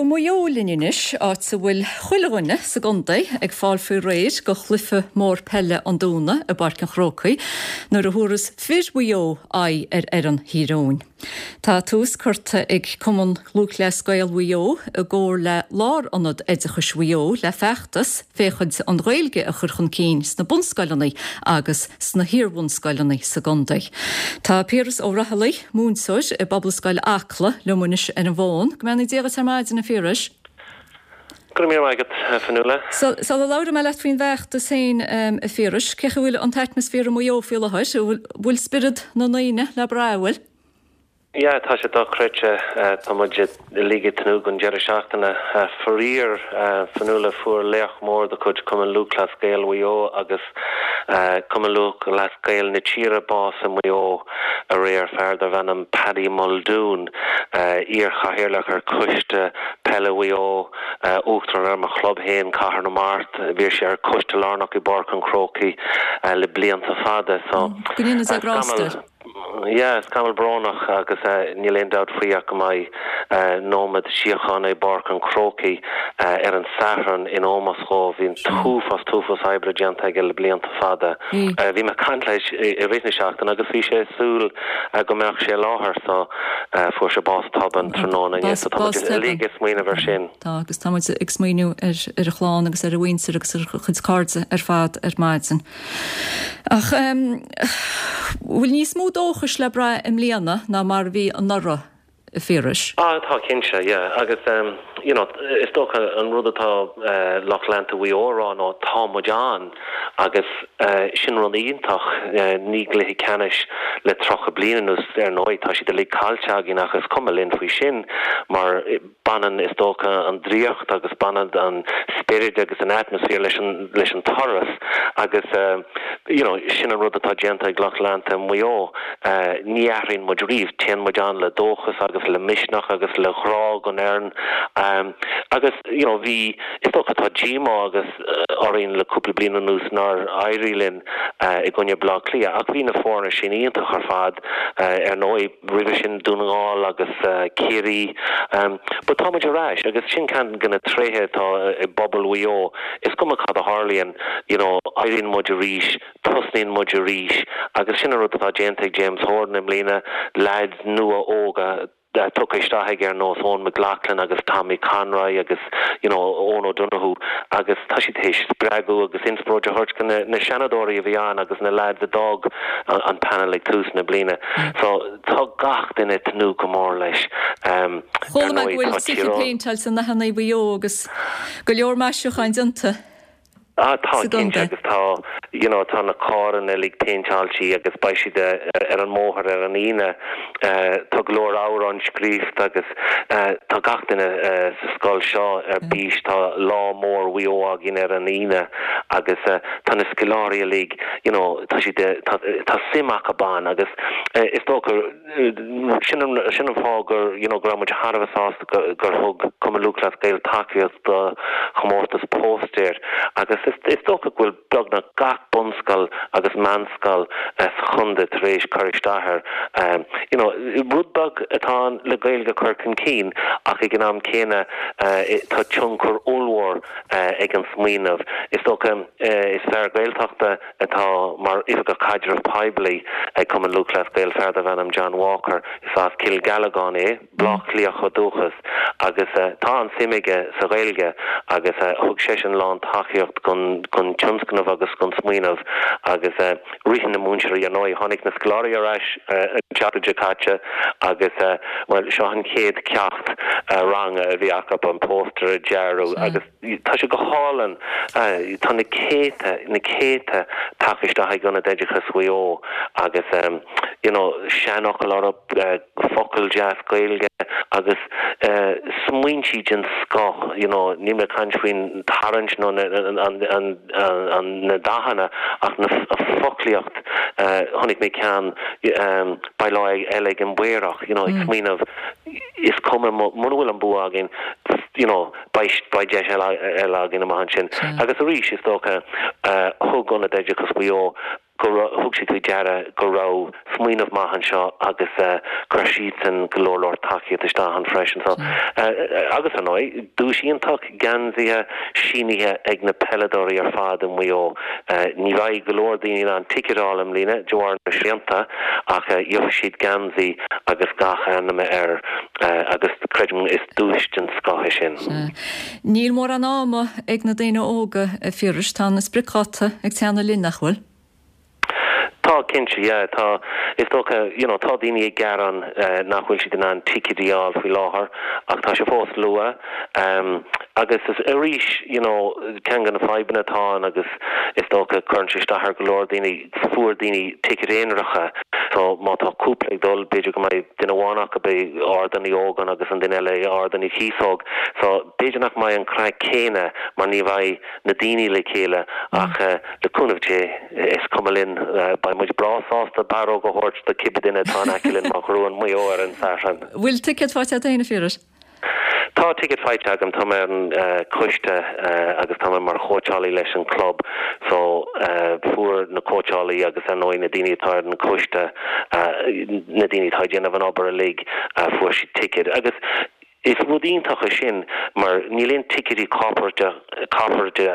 Go Maigh Eo linn anois, áit a bhfuil chuile dhuine sa gcontae ag fáil faoi réir go chluiche mór peile an Domhnaigh i bPáirc an Chrócaigh nuair a thabharfas fir Mhaigh Eo aghaidh ar fhoireann Thír Eoghain. Tá tús curtha ag Cumann Lúthchleas Gael Mhaigh Eo i gcomhar le Lárionad Oideachais Mhaigh Eo le feachtas féachaint an Ghaeilge a chur chun cinn sna bunscoileanna agus sna hiarbhunscoileanna sa gcontae. Tá Piaras Ó Raghallaigh, múinteoir i bPobalscoil Acla, liom anois ar an bhfón. Go mbeannaí Dia dhuit ar maidin, a Phiarais. Go raibh míle maith agat, a Fionnuala. Sula labhróidh mé leat faoin bhfeachtas féin, a Phiarais, cén chaoi a bhfuil an t-atmaisféar i Maigh Eo faoi láthair? An bhfuil spiorad na ndaoine le brath, an bhfuil? Yeah, tá sé dochreidte. Tá muid uilig ag tnúth don deireadh seachtaine. Faraor, Fionnuala, fuair laoch mór de chuid Chumann Lúthchleas Gael Mhaigh Eo agus Cumann Lúthchleas Gael na tíre bás i Maigh Eo aréir, fear darbh ainm Paddy Muldoon, iar-chathaoirleach ar Choiste Peile Mhaigh Eo, Uachtarán ar mo chlub féin, Cathair na Mart. Bhí sé ar Choiste Lárnach i bPáirc an Chrócaigh le blianta fada. So, Go ndéana Dia grásta air. Yeah, scamall brónach agus níl aon dabht faoi ach go mbeidh nóiméad síochána i bPáirc an Chrócaigh ar an Satharn in ómós dhó. Bhí an t-uafás, t-uafás oibre déanta aige le blianta fada. Bhí mé ag caint leis i rith na seachtaine agus bhí sé ag súil go mbeadh sé i láthair so fuair sé bás tobann tráthnóna inné so tá muid uilig ag smaoineamh air sin. Tá, agus tá muid ag smaoineamh ar a chlann agus ar a mhuintir agus ar a chuid cairde ar fad ar maidin. Ach bhfuil níos mó dóchais le brath i mbliana ná mar a bhí anuraidh, a Phiarais? Ah, tá cinnte, yeah. Agus you know, is dócha an rud atá lucht leanta Mhaigh Eo a rá ná tá muid ann agus sin rud iontach. Ní gcluiche ceannais le 30 bliain anuas, ar ndóigh, tá siad uilig caillte againn ach is cuma linn faoi sin mar Baineann, is dócha, an draíocht agus baineann an spiorad agus an atmaisféar leis an, leis an turas agus you know sin an rud atá déanta ag lucht leanta Mhaigh Eo. Ní athraíonn muid riamh, téann muid ann le dóchas agus le misneach agus le grá don fhoireann agus you know bhí, is dócha tá díomá agus orainn le cúpla bliain anuas nár éirigh linn i gcoinne Bleá Cliath ach bhí na foirne sin iontach ar fad ar ndóigh. roimhe sin Dún na nGall agus Ciarraí. But tá muid ar ais agus sin ceann de na tréithe atá i bpobal Mhaigh Eo, is cuma cad a tharlaíonn, you know, éiríonn muid arís, tosnaíonn muid arís agus sin an rud atá déanta ag James Horan i mbliana, leaids nua óga tugtha isteach aige ar nós Eoin McLaughlin agus Tommy Conroy agus you know Eoin O'Donoghue agus tá siad théis spreagadh agus inspioráid a thabhairt do na seanadóirí a bhí ann agus na leaids a d'fhág an panel ag tús na bliana. So tá gach duine ag tnúth go mór leis. Ar Chuala mé go bhfuil tithe péinteáilte in dathanna Mhaigh Eo agus go leor maisiúcháin déanta Ah tá cinnte agus tá you know tá na carranna uilig péinteáilte agus beidh siad ar an mbóthar ar an Aoine. Tá go leor amhrán scríofa agus tá gach duine sa scoil seo ar bís. Tá lá mór Mhaigh Eo againn ar an Aoine agus tá na scoláirí uilig you know tá siad tá tá suim acu ann agus is dócha sin an sin an fáth gur you know go raibh muid thar a bheith sásta gur gur thug Cumann Lúthchleas Gael tacaíocht do chomórtas póstaer agus is is dócha go bhfuil beagnach gach bunscoil agus meánscoil sa chontae tar éis cur isteach air. You know rud beag atá ann le Gaeilge a chur chun cinn ach ag an am céanna tá tionchar ollmhór ag an smaoineamh. Is dócha is fear Gaeltachta atá mar Oifigeach Caidreamh Poiblí ag Cumann Lúthchleas Gael, fear darbh ainm John Walker. Is as Cill Ghealagáin é, Bleá Cliathach ó dúchas, agus tá an-suim aige sa Ghaeilge agus thug seisean lán-tacaíocht don tionscnamh agus don smaoineamh agus ritheann na múinteoirí, ar ndóigh, tháinig na scoláirí ar ais an tseachtain seo caite agus, bhuel, seo an chéad ceacht ranga a bhí acu, an póstaer a dhearadh agus tá sé go hálainn. Tá na céadta, na céadta tagtha isteach ag Ionad Oideachais Mhaigh Eo agus, you know, seanfhocail orthu, focal deas Gaeilge agus smaointí den scoth, you know, níl mé ag caint faoin tarraingt nó na dathanna ach na foclaíocht, chonaic mé ceann, beidh lá eile ag an bPaorach, you know, ag smaoineamh, is cuma muna bhfuil an bua againn, you know, beidh beidh deis eile againn amach ansin. Agus arís, is dócha, thug Ionad Oideachais Mhaigh Eo. Go raibh, thug siad faoi deara go raibh smaoineamh maith anseo agus chuir siadsan go leor leor tacaíocht isteach ann freisin. So, agus ar ndóigh, duais iontach, geansaithe sínithe ag na peileadóirí ar fad i Maigh Eo. Ní bheidh go leor daoine in ann ticéid a fháil i mbliana de bharr na srianta ach gheobhaidh siad geansaí agus gach ainm air agus creidim is duais den scoth é sin. Níl mórán ama ag na daoine óga, a Phiarais. Tá an spriocdháta ag teannadh linn, nach bhfuil? Tá, cinnte, yeah. Tá, is dócha, you know, tá daoine ag gearán nach bhfuil siad in ann ticéidí a fháil faoi láthair ach tá sé fós luath. Agus is arís, you know, ceann de na fadhbanna atá ann agus is dócha cuireann sé isteach ar go leor daoine, fuair daoine ticéid aonaracha so má tá cúpla ag dul, b'fhéidir go mbeidh duine amháin acu i Ardán Uí Ógáin agus an duine eile i Ardán Uí Chíosóg so b'fhéidir nach mbeidh an craic céanna mar ní bheidh na daoine le chéile ach le cúnamh Dé is cuma linn, beidh muid breá sásta barróg a thabhairt do cibé duine atá in aice linn má ghnóthaíonn Maigh Eo ar an Satharn. Bhfuil ticéad faighte agat féin a Phiarais? Tá ticéad faighte agam, tá mé ar an choiste agus tá mé mar chóitseálaí leis an club so fuair na cóitseálaí agus ar ndóigh na daoine atá ar an choiste, na daoine atá ag déanamh an obair uilig, fuair siad ticéid agus is rud iontach é sin mar níl aon ticéidí corparáide corparáide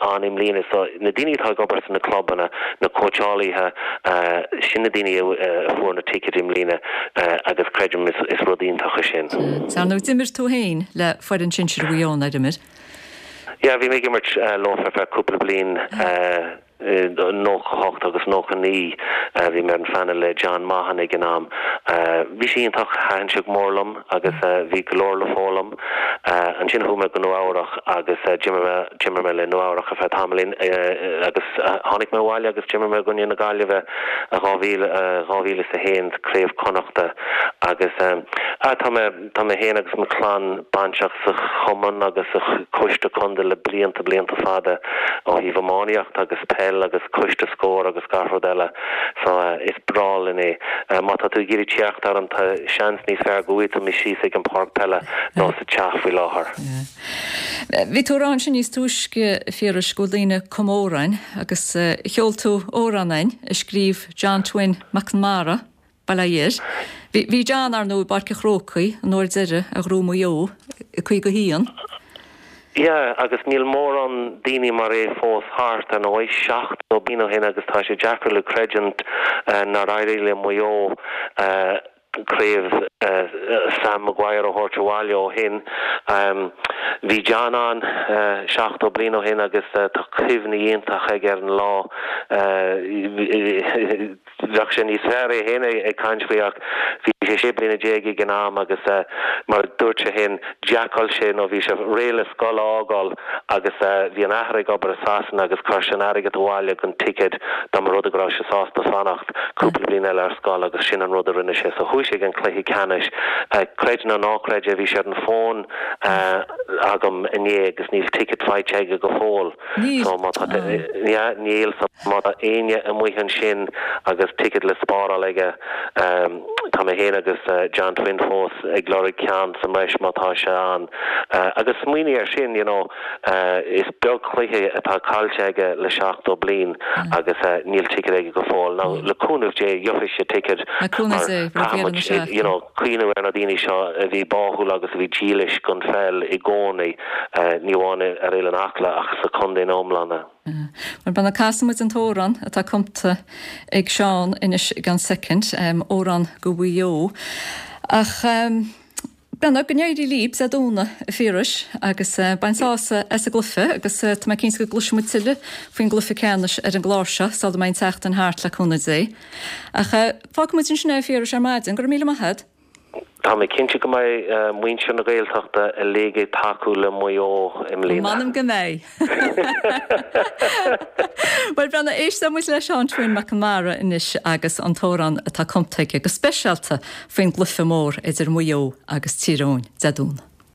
ann i mbliana so na daoine atá ag obair sna clubanna, na cóitseálaithe, sin na daoine a fuair na ticéid i mbliana agus creidim is rud iontach é sin. Sea, nó d'imir tú féin le foireann sinsir Mhaigh Eo, nár imir? Yeah, bhí mé ag imirt leo ar feadh cúpla bliain. 98 agus 99. Bhí mé ar an phainéal le John Maughan ag an am. Bhí sé iontach, thaitin sé go mór liom agus bhí go leor le foghlaim. Ansin chuaigh mé go Nua Eabhrach agus d'imir mé, d'imir mé le Nua Eabhrach ar feadh tamaillín agus tháinig mé abhaile agus d'imir mé i gcoinne na Gaillimhe i 2000, 2001 sa Craobh Connachta agus tá mé, Tá mé féin agus mo chlann bainteach sa chumann agus sa choiste contae le blianta, blianta fada ó thaobh iománaíocht agus peil agus coiste Scór agus gach rud eile so is breá linn é. Má tá tú ag iarraidh teacht orm tá seans níos fearr go bhfaighidh tú mé síos ag an páirc peile nó sa teach faoi láthair. Bhí tú ag rá ansin níos túisce, a Phiarais, go bhfuil daoine ag cumadh amhráin agus cheol tú amhrán a'inn a scríobh John Twin Mac Conmara. Bail ó Dhia air. Bhí John, ar ndóigh, i bPáirc an Chrócaigh an uair deiridh a ghnóthaigh Maigh Eo i 51. Yeah, agus níl mórán daoine mar é fós thart, ar ndóigh, 70 bliain ó shin agus tá sé deacair le creidiúint nár éirigh le Maigh Eo craobh Sam Maguire a thabhairt abhaile ó shin. Bhí John ann 70 bliain ó shin agus tá cuimhní iontach aige ar an lá. Bheadh sé níos fearr é féin ag caint faoi ach bhí sé 16 bliana ag an am agus mar a dúirt sé féin d'fheiceáil sé nó bhí sé réidh le scoil a fhágáil agus bhí an athair ag obair i Sasana agus chuir sé an airgead abhaile don ticéad dá mba rud é go raibh sé sásta fanacht cúpla bliain eile ar scoil agus sin an rud a rinne sé. So chuaigh sé ag an cluiche ceannais. Creid nó ná creid é bhí sé ar an bhfón agam inné agus níl ticket faighte aige go fóill. Níl. So má tá yeah níl so má tá éinne amuigh ansin agus ticket le spáráil aige tá mé féin agus John Twin fós ag lorg ceann sa mbreis má tá sé ann. Agus smaoinigh air sin you know is beag cluiche atá caillte aige le 70 bliain agus níl ticket aige go fóill. Now le cúnamh Dé gheobhaidh sé ticket Le cúnamh mar Dé roimh caithfidh dheireadh na muid seachtaine. you know cuimhneamh ar na daoine seo a bhí báúil agus a bhí dílis don pheil i gcónaí, ní amháin ar Oileán Acla ach sa chontae ina iomláine. Bhuel, b'fhéidir casfaidh muid an t-amhrán atá cumta ag Seán anois i gceann soicind, amhrán go Mhaigh Eo. Ach b'fhéidir go n-éirí libh Dé Domhnaigh, a Phiarais, agus bain sásamh as an gcluiche agus tá mé cinnte go gcloisfidh muid tuilleadh faoin gcluiche ceannais ar an gclár seo sula mbeidh an tseachtain thart le cúnamh Dé. Ach fágfaidh muid ansin é, a Phiarais, ar maidin. Go raibh míle maith agat. Tá mé cinnte go mbeidh muintir na Gaeltachta uilig ag tacú le Maigh Eo i mbliana. M'anam go mbeidh. Bhuel, Breandán, éistfidh muid le Seán Twin Mac Conmara anois agus an t-amhrán atá cumta aige go speisialta faoin gcluiche mór idir Maigh Eo agus Tír Eoghain Dé Domhnaigh.